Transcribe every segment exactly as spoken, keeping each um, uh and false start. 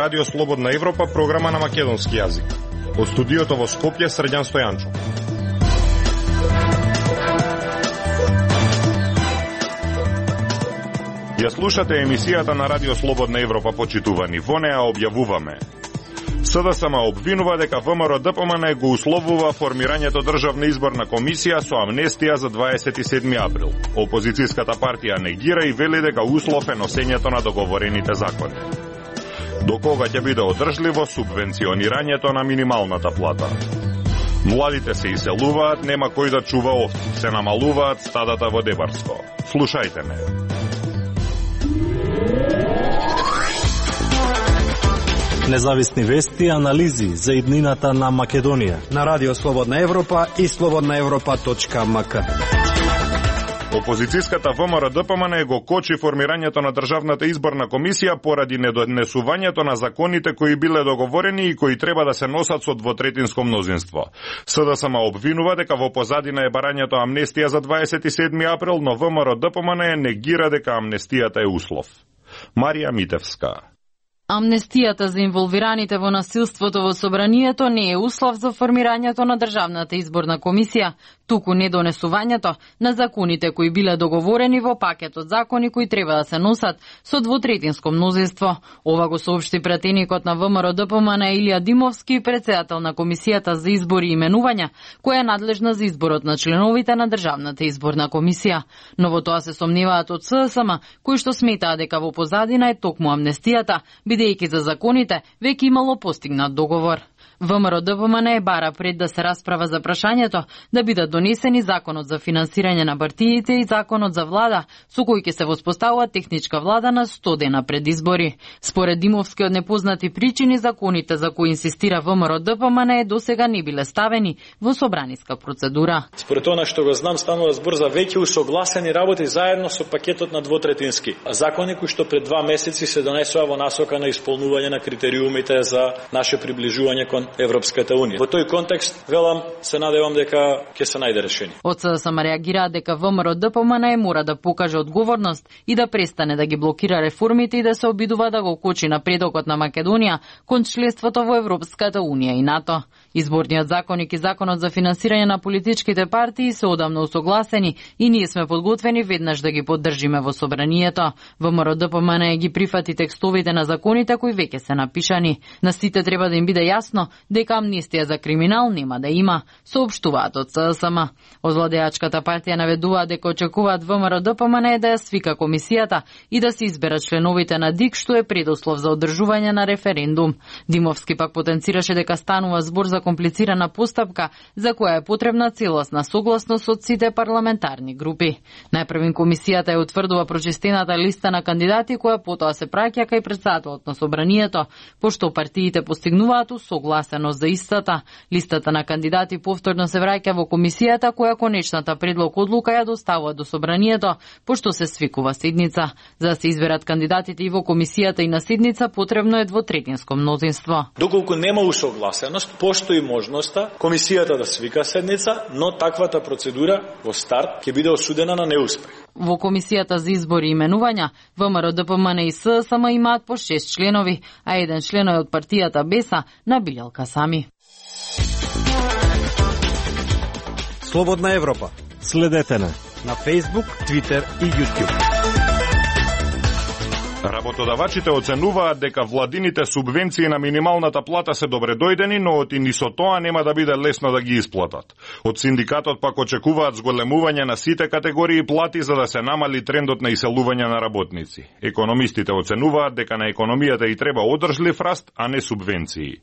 Радио Слободна Европа, програма на македонски јазик. Од студиото во Скопје, Срđan Стојанчов. Ја слушате емисијата на Радио Слободна Европа, почитувани. Во неа објавуваме: СДСМ обвинува дека ВМРО-ДПМН го условува формирањето државна изборна комисија со амнестија за дваесет и седми април. Опозицијската партија негира и вели дека услов е носењето на договорените закони. До кога ќе биде одржливо субвенционирањето на минималната плата? Младите се иселуваат, нема кој да чува овци, се намалуваат стадата во Дебарско. Слушајте ме. Независни вести и анализи за иднината на Македонија на Радио Слободна Европа и слободна европа точка ем ка. Опозицијската ВМРО-ДПМН го кочи формирањето на државната изборна комисија поради недонесувањето на законите кои биле договорени и кои треба да се носат со двотретинско мнозинство. СДСМ обвинува дека во позадина е барањето амнестија за дваесет и седми април, но ВМРО-ДПМН негира дека амнестијата е услов. Марија Митевска. Амнестијата за инволвираните во насилството во собранието не е услов за формирањето на државната изборна комисија, туку недонесувањето на законите кои биле договорени во пакетот закони кои треба да се носат со двотретинско мнозинство. Ова го соопшти пратеникот на ВМРО-ДПМН Илија Димовски, председател на комисијата за избори и именувања, која е надлежна за изборот на членовите на државната изборна комисија. Но во тоа се сомневаат од СДСМ, кои што сметаат дека во позадина е токму амнестијата, бидејќи за законите веќе имало постигнат договор. ВМРО-ДПМН е бара пред да се расправа за прашањето да бидат донесени законот за финансирање на партиите и законот за влада, со кој ќе се воспоставува техничка влада на сто дена пред избори. Според Димовски, од непознати причини законите за кои инсистира ВМРО-ДПМН досега не биле ставени во собраниска процедура. Според она што го знам, станува збор за веќе усогласени работи заедно со пакетот на двотретински закони кои што пред два месеци се донесува во насока на исполнување на критериумите за наше приближување кон Европската унија. Во тој контекст, велам, се надевам дека ќе се најде решение. Од СДСМ реагира дека ВМРО-ДПМН мора да покаже одговорност и да престане да ги блокира реформите и да се обидува да го кочи напредокот на Македонија кон членството во Европската унија и НАТО. Изборниот законник и законот за финансирање на политичките партии се одамна усогласени и ние сме подготвени веднаш да ги поддржиме во собранието. ВМРО-ДПМН ги прифати текстовите на законите кои веќе се напишани. На сите треба да им биде јасно дека амнестија за криминал нема да има, соопштуваат од СДСМ. Од владеачката партија наведуваат дека очекуваат ВМРО-ДПМН да ја свика комисијата и да се изберат членовите на ДИК, што е предуслов за одржување на референдум. Димовски пак потенцираше дека станува збор за комплицирана постапка за која е потребна целосна согласност од сите парламентарни групи. Најпрвин комисијата ја утврдува прочистената листа на кандидати која потоа се праќа кај претседателот на собранието, пошто партиите постигнуваат усогласеност за истата. Листата на кандидати повторно се враќа во комисијата која конечната предлог одлука ја доставува до собранието, пошто се свикува седница. За да се изберат кандидатите и во комисијата и на седница потребно е двотретинско мнозинство. Доколку нема усогласеност, постои можноста комисијата да свика седница, но таквата процедура во старт ќе биде осудена на неуспех. Во комисијата за избори и именувања, ВМРО-ДПМН и СДСМ имаат по шест членови, а еден член е од партијата Беса на Билјал Касами. Слободна Европа. Следете на на Facebook, Twitter и YouTube. Работодавачите оценуваат дека владините субвенции на минималната плата се добредојдени, но оти ни со тоа нема да биде лесно да ги исплатат. Од синдикатот пак очекуваат зголемување на сите категории плати за да се намали трендот на иселување на работници. Економистите оценуваат дека на економијата и треба одржлив раст, а не субвенции.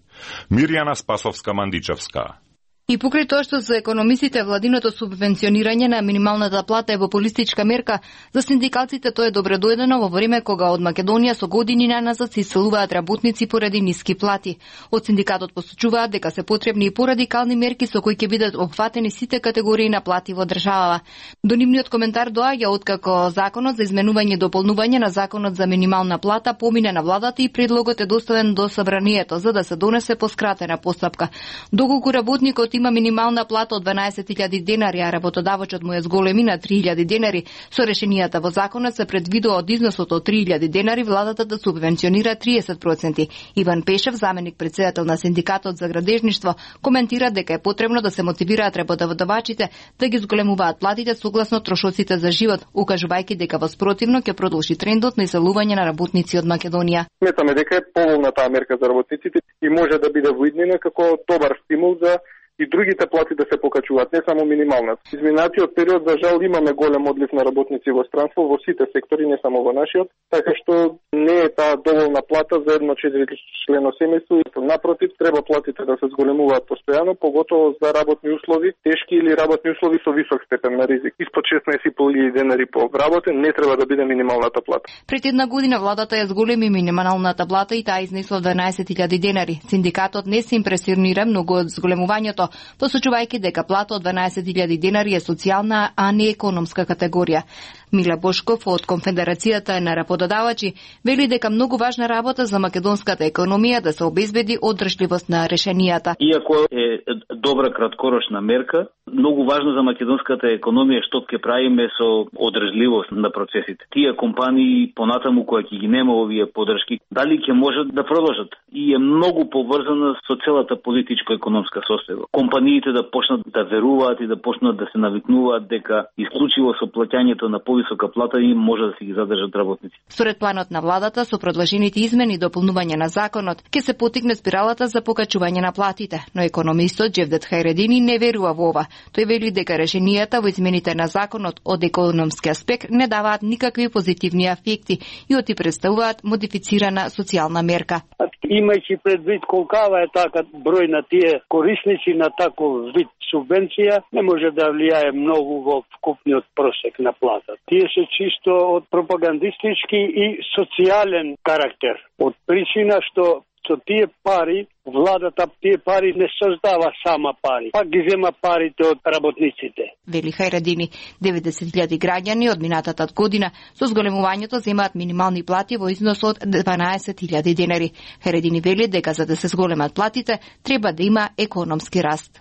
Мирјана Спасовска-Мандичевска. И покрај тоа што за економистите владиното субвенционирање на минималната плата е популистичка мерка, за синдикалците тоа е добредојдено во време кога од Македонија со години наназад се иселуваат работници поради ниски плати. Од синдикатот посочуваат дека се потребни и порадикални мерки со кои ќе бидат опфатени сите категории на плати во државава. До нивниот коментар доаѓа откако законот за изменување и дополнување на законот за минимална плата помине на владата и предлогот е доставен до собранието за да се донесе по скратена постапка. Доколку работникот има минимална плата од дванаесет илјади денари, а работодавачот му ја зголеми на три илјади денари, со решенијата во законот се предвидува од износот од три илјади денари владата да субвенционира триесет проценти. Иван Пешев, заменик претседател на синдикатот за градежништво, коментира дека е потребно да се мотивираат работодавачите да ги зголемуваат платите согласно трошоците за живот, укажувајќи дека во спротивно ќе продолжи трендот на иселување на работници од Македонија. Сметаме дека е поволна таа мерка за работниците и може да биде воиднина како добар стимул за и другите плати да се покачуваат, не само минималната. Изминатиот период, за жал, имаме голем одлив на работници во странство, во сите сектори, не само во нашиот, така што не е таа доволна плата за едно четиричлено семејство. Напротив, треба платите да се зголемуваат постојано, поготово за работни услови, тешки или работни услови со висок степен на ризик. Испод шеснаесет и пол илјади денари по вработен не треба да биде минималната плата. Пред една година владата ја зголеми минималната плата и таа изнесла дванаесет илјади денари. Синдикатот не се импресионира многу од зголемувањето, посочувајќи дека плата од дванаесет илјади денари е социјална, а не економска категорија. Миле Бошков од Конфедерацијата на работодавачи вели дека многу важна работа за македонската економија да се обезбеди одржливост на решенијата. Иако е добра краткорочна мерка, многу важно за македонската економија што ќе правиме со одржливост на процесите. Тие компании понатаму кои ќе ги нема овие поддршки, дали ќе можат да продолжат? И е многу поврзана со целата политичко-економска состојба. Компаниите да почнат да веруваат и да почнат да се навикнуваат дека исклучиво со плаќањето на повисока плата им може да се ги задржат работници. Според планот на владата, со предложените измени и дополнување на законот, ќе се потикне спиралата за покачување на платите, но економистот Джевдет Хајредини не верува во ова. Тој вели дека решенијата во измените на законот од економски аспект не даваат никакви позитивни ефекти и оти представуваат модифицирана социјална мерка. Имајќи предвид колкава е така број на тие корисници на таков вид субвенција, не може да влијае многу во вкупниот просек на плата. Тие се чисто од пропагандистички и социјален карактер. Од причина што со тие пари, владата тие пари не создава сама пари, пак ги зема парите од работниците. Вели Хајредини, деветдесет илјади граѓани од минатата година со зголемувањето земаат минимални плати во износ од дванаесет илјади денари. Хајредини вели дека за да се зголемат платите, треба да има економски раст.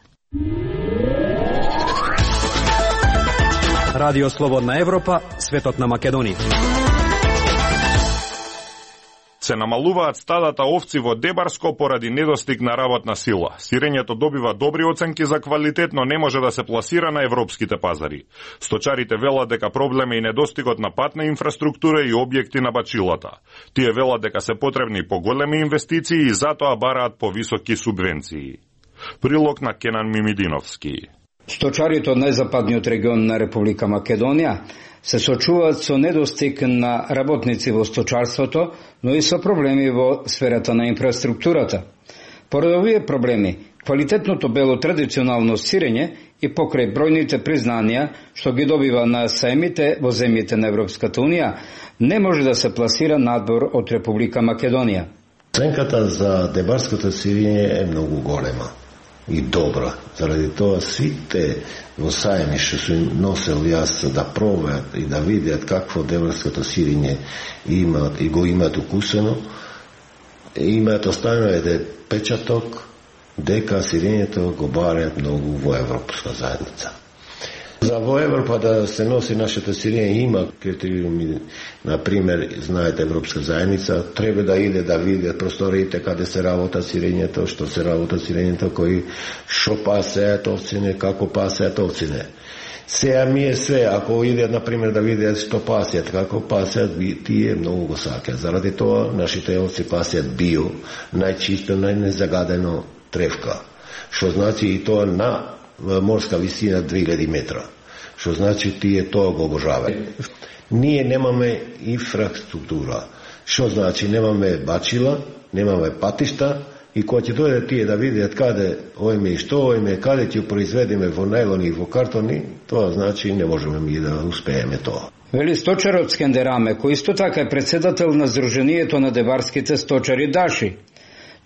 Радио Слободна Европа, светот на Македонија. Се намалуваат стадата овци во Дебарско поради недостиг на работна сила. Сирењето добива добри оценки за квалитет, но не може да се пласира на европските пазари. Сточарите велат дека проблем е и недостигот на патна инфраструктура и објекти на бачилата. Тие велат дека се потребни поголеми инвестиции и затоа бараат повисоки субвенции. Прилог на Кенан Мимидиновски. Сточарите од најзападниот регион на Република Македонија се сочуваат со недостиг на работници во сточарството, но и со проблеми во сферата на инфраструктурата. Поради овие проблеми, квалитетното бело традиционално сирење и покрај бројните признанија што ги добива на саемите во земјите на Европската Унија, не може да се пласира надвор од Република Македонија. Оценката за дебарското сирење е многу голема и добра. Заради тоа сите во саеми што се носел јас да пробаат и да видят какво дебарското сирење имаат и го имаат укусено, имаат оставено еден печаток дека сирењето го бараат многу во Европска заедница. За во Европа да се носи нашето сирење има критериуми, например, знаете Европска заедница, треба да иде да види просториите каде се работа сирењето, што се работа сирењето, кои шо пасеат овцине, како пасеат овцине. Сега ми е све, ако иде, например, да видят што пасеат, како пасеат, тие многу го сакаат. Заради тоа, нашите овци пасеат био, најчисто, најнезагадено тревка. Што значи и тоа на морска висина две илјади метра. Што значи тие тоа го обожаваат. Ние немаме инфраструктура. Што значи немаме бачила, немаме патишта и кога ќе дојде тие да видат каде ојме и што ојме, каде ќе произведеме во најлони и во картони, тоа значи не можеме ми да успееме тоа. Вели сточарот Скендераме, кој исто така е председател на Сдруженијето на дебарските сточари Даши.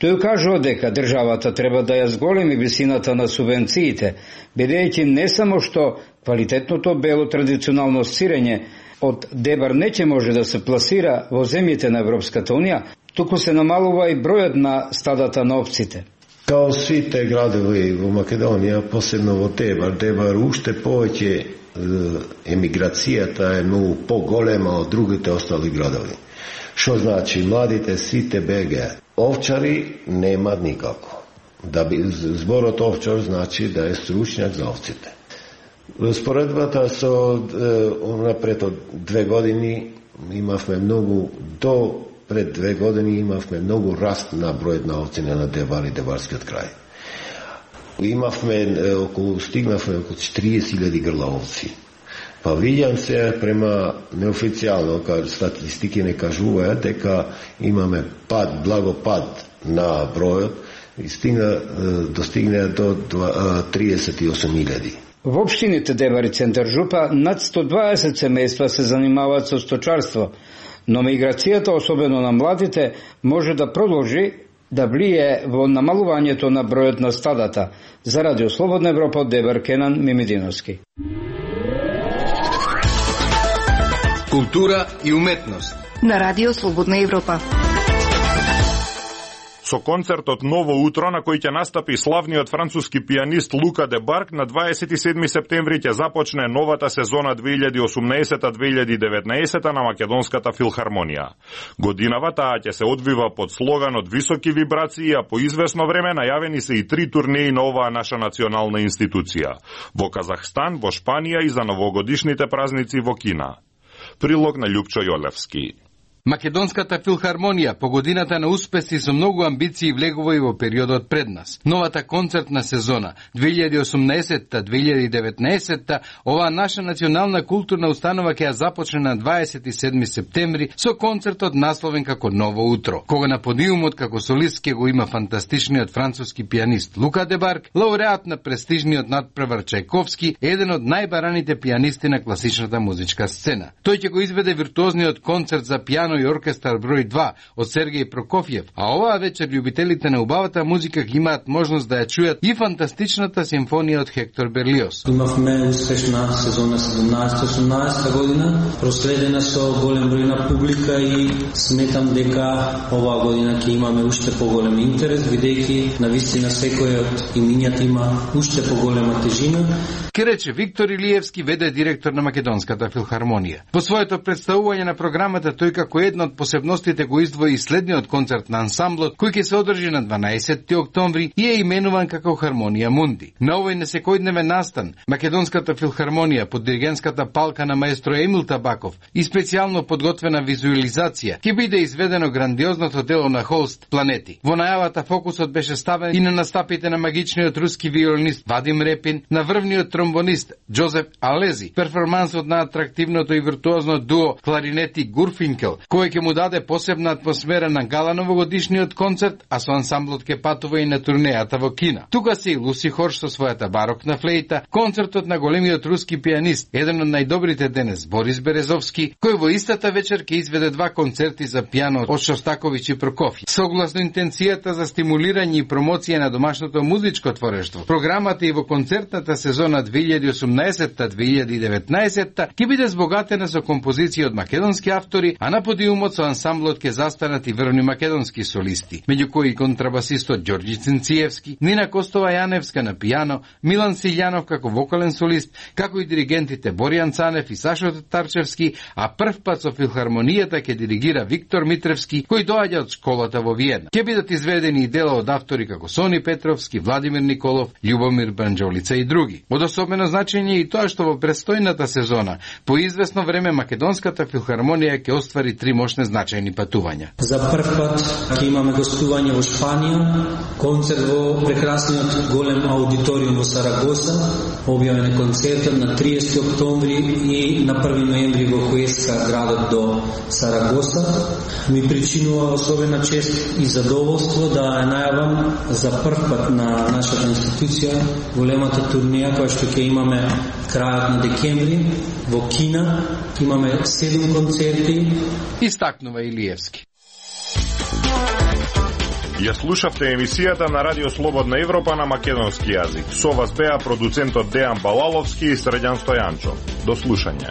Тој кажува дека државата треба да ја зголеми висината на субвенциите, бидејќи не само што квалитетното бело традиционално сирење од Дебар не ќе може да се пласира во земјите на Европската Унија, туку се намалува и бројот на стадата на овците. Као сите градови во Македонија, посебно во Дебар, Дебар уште повеќе емиграцијата е многу поголема од другите остали градови. Што значи, младите сите бегаат. Овчари нема никако. Да би, зборот овчар значи да е стручњак за овците. Споредбата со напред од две години имавме многу, до пред две години имавме многу раст на бројот на овци на Дебар и Дебарскиот крај. Имавме околу, стигнавме околу четириесет илјади грла овци. Па видјам се према неофицијално, кај статистики не кажуваат дека имаме пад, благо пад на бројот и стигна, достигне до триесет и осум илјади. Во општините Дебар и Центар Жупа над сто дваесет семејства се занимаваат со сточарство, но миграцијата, особено на младите, може да продолжи да влие во намалувањето на бројот на стадата. За Радио Слободна Европа од Дебар, Кенан Мимидиновски. Култура и уметност на Радио Слободна Европа. Со концертот Ново утро, на кој ќе настапи славниот француски пианист Лука де Барк, на дваесет и седми септември ќе започне новата сезона две илјади и осумнаесета две илјади и деветнаесета на Македонската филхармонија. Годинава таа ќе се одвива под слоганот високи вибрации, а по известно време најавени се и три турнеи на оваа наша национална институција. Во Казахстан, во Шпанија и за новогодишните празници во Кина. Прилог на Љупчо Јолевски. Македонската филхармонија по годината на успеси со многу амбиции влегува и во периодот пред нас. Новата концертна сезона две илјади и осумнаесета две илјади и деветнаесета, оваа наша национална културна установа ќе ја започне на дваесет и седми септември со концертот насловен како Ново утро, кога на подиумот како солист ќе го има фантастичниот француски пианист Лука де Барк, лауреат на престижниот надпревар Чајковски, еден од најбараните пианисти на класичната музичка сцена. Тој ќе го изведе виртуозниот концерт за пиано и оркестар број два од Сергеј Прокофиев, а оваа вечер љубителите на убавата музика ги имаат можност да ја чујат и фантастичната симфонија од Хектор Берлиоз. Имавме успешна сезона седумнаесета осумнаесета година, проследена со голем број на публика и сметам дека оваа година ќе имаме уште поголем интерес, бидејќи навистина секој од имињата има уште поголема тежина. Ке рече Виктор Илиевски, вд директор на Македонската филхармонија. По своето представување на програмата тој како една од посебностите го издвои следниот концерт на ансамблот, кој ќе се одржи на дванаесети октомври и е именуван како Хармонија Мунди. На овој несекојдневен настан, Македонската филхармонија под диригентската палка на маестро Емил Табаков и специјално подготвена визуализација ќе биде изведено грандиозното дело на Холст Планети. Во најавата фокусот беше ставен и на настапите на магичниот руски виолинист Вадим Репин, на врвниот тромбонист Джозеф Алези, перформансот на атрактивното и виртуозно дуо кларинети Гурфинкел, кој ќе му даде посебна атмосфера на гала новогодишниот концерт, а со ансамблот ќе патува и на турнејата во Кина. Тука се и Луси Хорш со својата барокна флејта, концертот на големиот руски пианист, еден од најдобрите денес, Борис Березовски, кој во истата вечер ќе изведе два концерти за пијано од Шостаковиќ и Прокофиев. Согласно интенцијата за стимулирање и промоција на домашното музичко творештво, програмата и во концертната сезона две илјади и осумнаесета две илјади и деветнаесета ќе биде збогатена со композиции од македонски автори, а на подиумот со ансамблот ќе застанат и врвни македонски солисти, меѓу кои контрабасистот Ѓорѓи Цинциевски, Нина Костова Јаневска на пијано, Милан Силјанов како вокален солист, како и диригентите Боријан Цанев и Сашо Татарчевски, а прв пат со филхармонијата ќе диригира Виктор Митревски, кој доаѓа од школата во Виена. Ќе бидат изведени и дела од автори како Сони Петровски, Владимир Николов, Љубомир Банџолица и други. Од особено значење и тоа што во престојната сезона по известно време Македонската филхармонија ќе оствари три мощни значајни патувања. За прв пат ќе имаме гостување во Шпанија, концерт во прекрасниот голем аудиториум во Сарагоса, објавен е концертот на триесети октомври и на први ноември во Хуеска, градот до Сарагоса. Ми причинува особена чест и задоволство да ја најавам за прв пат на нашата институција големата турнеја која што ќе имаме крајот на декември во Кина. Имаме седум концерти. Истакнува Илиевски. Ја слушавте емисијата на Радио Слободна Европа на македонски јазик. Со вас беа продуцентот Дејан Балаловски и Средјан Стојанчо. До слушање.